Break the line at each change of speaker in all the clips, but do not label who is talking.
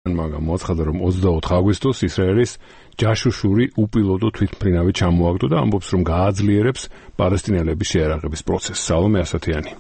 მოაცხადა, რომ 24 აგვისტოს ისრაელის ჯაშუშური უპილოტო თვითმფრინავი ჩამოაგდო და ამბობს, რომ გააძლიერებს პალესტინელების შეარაღების პროცესს. სალომე ასათიანი.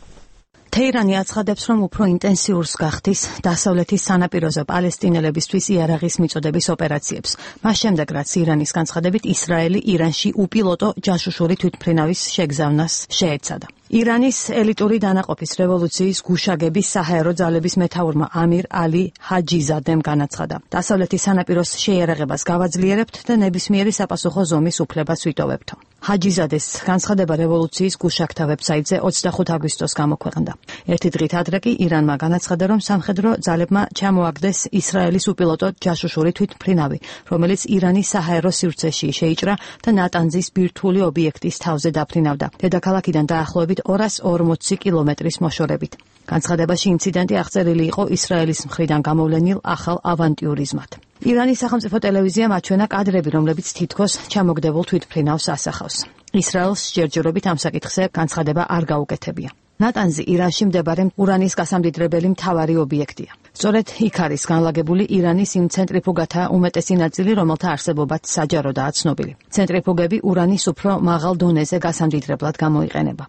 თეირანი აცხადებს, რომ უფრო ინტენსიურს გახდის დასავლეთის სანაპიროზე პალესტინელებისთვის იარაღის მიწოდების ოპერაციებს. მას შემდეგ, რაც ირანის განცხადებით ისრაელი ირანში უპილოტო ჯაშუშური თვითმფრინავის შეგზავნას შეეცადა. ირანის ელიტური დანაყოფის რევოლუციის გუშაგების საჰაერო ძალების მეთაურმა ამირ ალი ჰაჯიზადემ განაცხადა. დასავლეთის სანაპიროს შეიარაღებას გავაძლიერებთ და ნებისმიერი საპასუხო ზომის უფლებას ვიტოვებთ. ჰაჯიზადეს განცხადება რევოლუციის გუშაგთა ვებსაიტზე 25 აგვისტოს გამოქვეყნდა. ერთი დღით ადრე კი ირანმა განაცხადა, რომ სამხედრო ძალებმა ჩამოაგდეს ისრაელის უპილოტო ჯაშუშური თვითმფრინავი, რომელიც ირანის საჰაერო სივრცეში შეიჭრა და ნატანზის ბირთვული ობიექტის თავზე დაფრინავდა. დედაქალაქიდან დაახლოებით 240 კილომეტრის მოშორებით. განცხადებაში ინციდენტი აღწერილი იყო ისრაელის მხრიდან გამოვლენილ ახალ ავანტიურიზმად. ირანის სახელმწიფო ტელევიზიამ აჩვენა კადრები, რომლებიც თითქოს ჩამოგდებულ თვითმფრინავს ასახავს. ისრაელს ჯერჯერობით ამ საკითხზე განცხადება არ გაუკეთებია. ნატანზი ირანში მდებარე ურანის გასამდიდრებელი მთავარი ობიექტია. სწორედ იქ არის განლაგებული ირანის იმ ცენტრიფუგათა უმეტესი ნაწილი, რომელთა არსებობაც საჯაროდაა ცნობილი. ცენტრიფუგები ურანის უფრო მაღალ დონეზე გასამდიდრებლად გამოიყენება.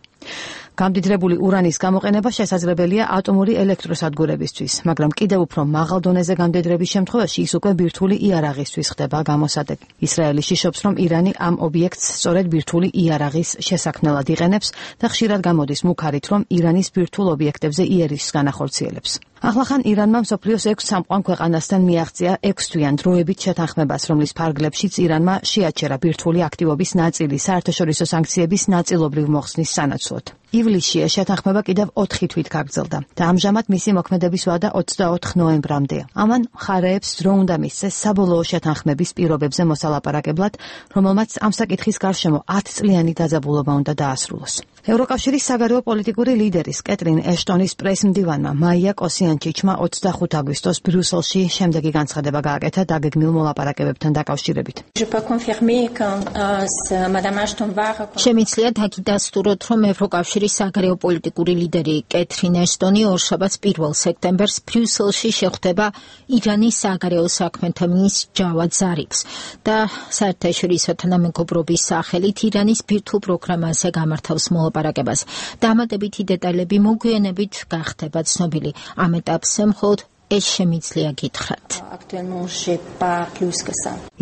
გამდიდრებული ურანის გამოყენება შესაძლებელია ატომური ელექტროსადგურებისთვის, მაგრამ კიდევ უფრო მაღალ დონეზე გამდიდრების შემთხვევაში ის უკვე ბირთვული იარაღისთვის ხდება გამოსადეგი. ისრაელი შიშობს, რომ ირანი ამ ობიექტს სწორედ ბირთვული იარაღის შესაქმნელად იყენებს და ხშირად გამოდის მუქარით, რომ ირანის ბირთვულ ობიექტებზე იერიშს განახორციელებს. ახლახან ირანმა მსოფლიოს 6 სამყარო ქვეყანასთან მიაღწია 6 თვიან დროებით შეთანხმებას, რომლის ფარგლებშიც ირანმა შეაჩერა ბირთვული აქტივობის ნაწილი საერთაშორისო სანქციების ნაწილობრივ მოხსნის სანაცვლოდ. ივლისში შეთანხმება კიდევ 4 თვით გაგრძელდა და ამჟამად მისი მოქმედების ვადა 24 ნოემბრამდეა. ამან მხარეებს დრო უნდა მისცეს საბოლოო შეთანხმების პირობებზე მოსალაპარაკებლად, რომელმაც ამ საკითხის გარშემო 10 წლიანი დაძაბულობა უნდა დაასრულოს. ევროკავშირის საგარეო პოლიტიკური ლიდერის კეტრინ ეშტონის პრესმდივანმა მაია კოსიანჩიჩმა 25 აგვისტოს ბრიუსელში შემდეგი განცხადება გააკეთა დაგეგმილ მოლაპარაკებებთან დაკავშირებით.
შემიძლია დაგიდასტუროთ, რომ ევროკავშირის საგარეო პოლიტიკური ლიდერი კეტრინ ეშტონი ორშაბათს 1 სექტემბერს ბრიუსელში შეხვდება ირანის საგარეო საქმეთა მინისტრ ჯავად ზარიფს და საერთაშორისო თანამეგობრობის სახელით ირანის ბირთვულ პროგრამაზე გამართავს მოლაპარაკებას. დამატებითი დეტალები მოგვიანებით გახდება ცნობილი. ამ ეტაპზე მხოლოდ ეს შემიძლია გითხრათ.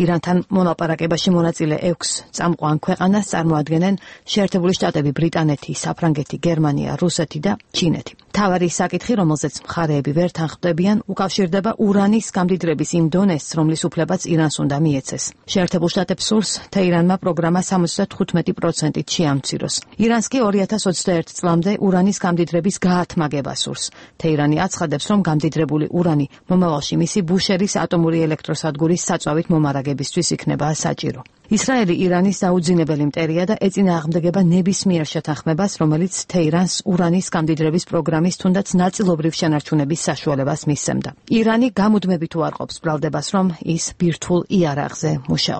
ირანთან მოლაპარაკებაში მონაწილე 6 წამყვან ქვეყანას წარმოადგენენ შეერთებული შტატები, ბრიტანეთი, საფრანგეთი, გერმანია, რუსეთი და ჩინეთი. მთავარი საკითხი, რომელზეც მხარეები ვერ თანხმდებიან, უკავშირდება ურანის გამდიდრების იმ დონეს, რომლის უფლებაც ირანს უნდა მიეცეს. შეერთებულ შტატებს სურს თეირანმა პროგრამა 75%-ით შეამციროს. ირანს კი 2021 წლამდე ურანის გამდიდრების გაათმაგება სურს. თეირანი აცხადებს, რომ გამდიდრებული ურანი მომავალში მისი ბუშერის ატომური ელექტროსადგურის საწვავით მომარაგებისთვის იქნება საჭირო. ისრაელი ირანის დაუძინებელი მტერია და ეწინააღმდეგება ნებისმიერ შეთანხმებას, რომელიც თეირანს ურანის გამდიდრების პროგრამის თუნდაც ნაწილობრივ შენარჩუნების საშუალებას მისცემდა. ირანი გამუდმებით უარყოფს ბრალდებას, რომ ის ბირთვულ იარაღზე მუშაობს.